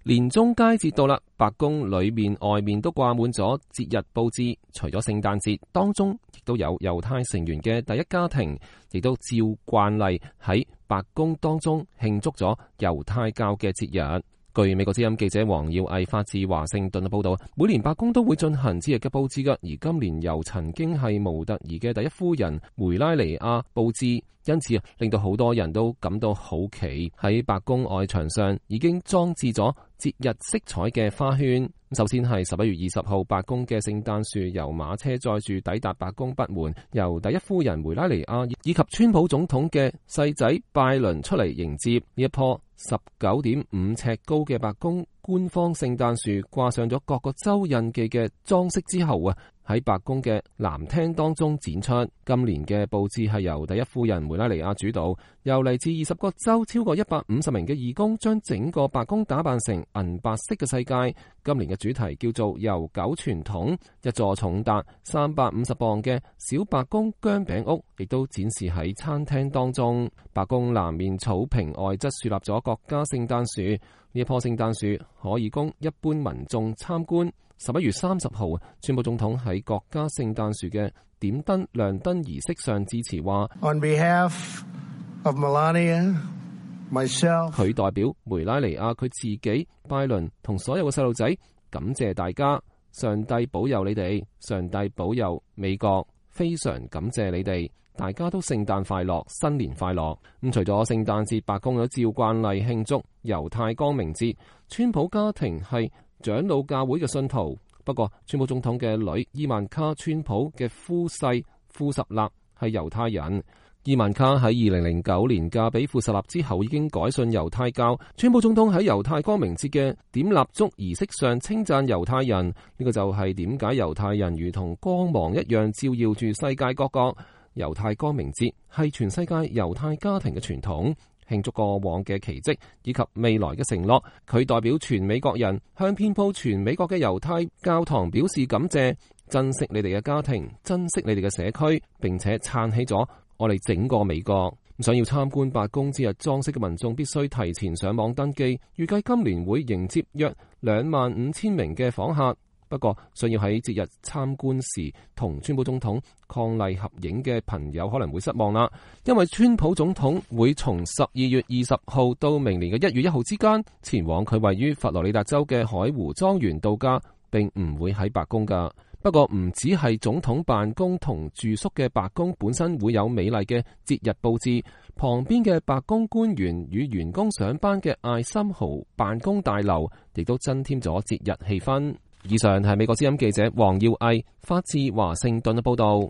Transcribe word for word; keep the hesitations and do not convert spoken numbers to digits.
年中佳節到啦，白宮裏面外面都掛滿咗節日佈置。除咗聖誕節，當中亦都有猶太成員嘅第一家庭，亦都照慣例喺白宮當中慶祝咗猶太教嘅節日。據美國之音記者黃耀毅發自華盛頓嘅報道，每年白宮都會進行節日嘅佈置噶，而今年由曾經係模特兒嘅第一夫人梅拉尼亞佈置，因此令到好多人都感到好奇。喺白宮外牆上已經裝置咗節日色彩嘅花圈。首先係十一月二十號，白宮嘅聖誕樹由馬車載住抵達白宮北門，由第一夫人梅拉尼亞以及川普總統嘅細仔拜倫出嚟迎接。呢一棵十九點五尺高嘅白宮官方聖誕樹掛上咗各個州印記嘅裝飾之後啊，喺白宮嘅南廳當中展出。今年嘅佈置係由第一夫人梅拉尼亞主導，由嚟自二十個州超過一百五十名嘅義工將整個白宮打扮成銀白色嘅世界。今年嘅主題叫做悠久傳統，一座重達三百五十磅嘅小白宮薑餅屋亦都展示喺餐廳當中。白宮南面草坪外側樹立咗國家聖誕樹，呢一棵聖誕樹可以供一般民眾參觀。十一月三十號，川普總統喺國家聖誕樹嘅點燈亮燈儀式上致辭話 On behalf of Melania, myself, 佢代表梅拉尼亞佢自己、拜倫同所有嘅細路仔，感謝大家，上帝保佑你哋，上帝保佑美國，非常感謝你哋，大家都聖誕快樂，新年快樂。咁除咗聖誕節，白宮都照慣例慶祝猶太光明節。川普家庭係長老教會嘅信徒，不過川普總統嘅女伊萬卡川普嘅夫婿庫什納係猶太人。伊萬卡喺二零零九年嫁俾庫什納之後已經改信猶太教。川普總統喺猶太光明節嘅點蠟燭儀式上稱讚猶太人，呢、這個就係點解猶太人如同光芒一樣照耀住世界各國。猶太光明節係全世界猶太家庭嘅傳統，慶祝過往嘅奇蹟以及未來嘅承諾。佢代表全美國人向遍佈全美國嘅猶太教堂表示感謝，珍惜你哋嘅家庭，珍惜你哋嘅社區，並且撐起咗我哋整個美國。想要參觀白宮節日裝飾嘅民眾必須提前上網登記，預計今年會迎接約兩萬五千名嘅訪客。不過，想要喺節日參觀時同川普總統伉儷合影嘅朋友可能會失望啦，因為川普總統會從十二月二十號到明年嘅一月一號之間前往佢位於佛羅里達州嘅海湖莊園度假，並唔會喺白宮㗎。不過唔只係總統辦公同住宿嘅白宮本身會有美麗嘅節日佈置，旁邊嘅白宮官員與員工上班嘅艾森豪辦公大樓亦都增添咗節日氣氛。以上係美國之音記者黃耀毅發自華盛頓嘅報道。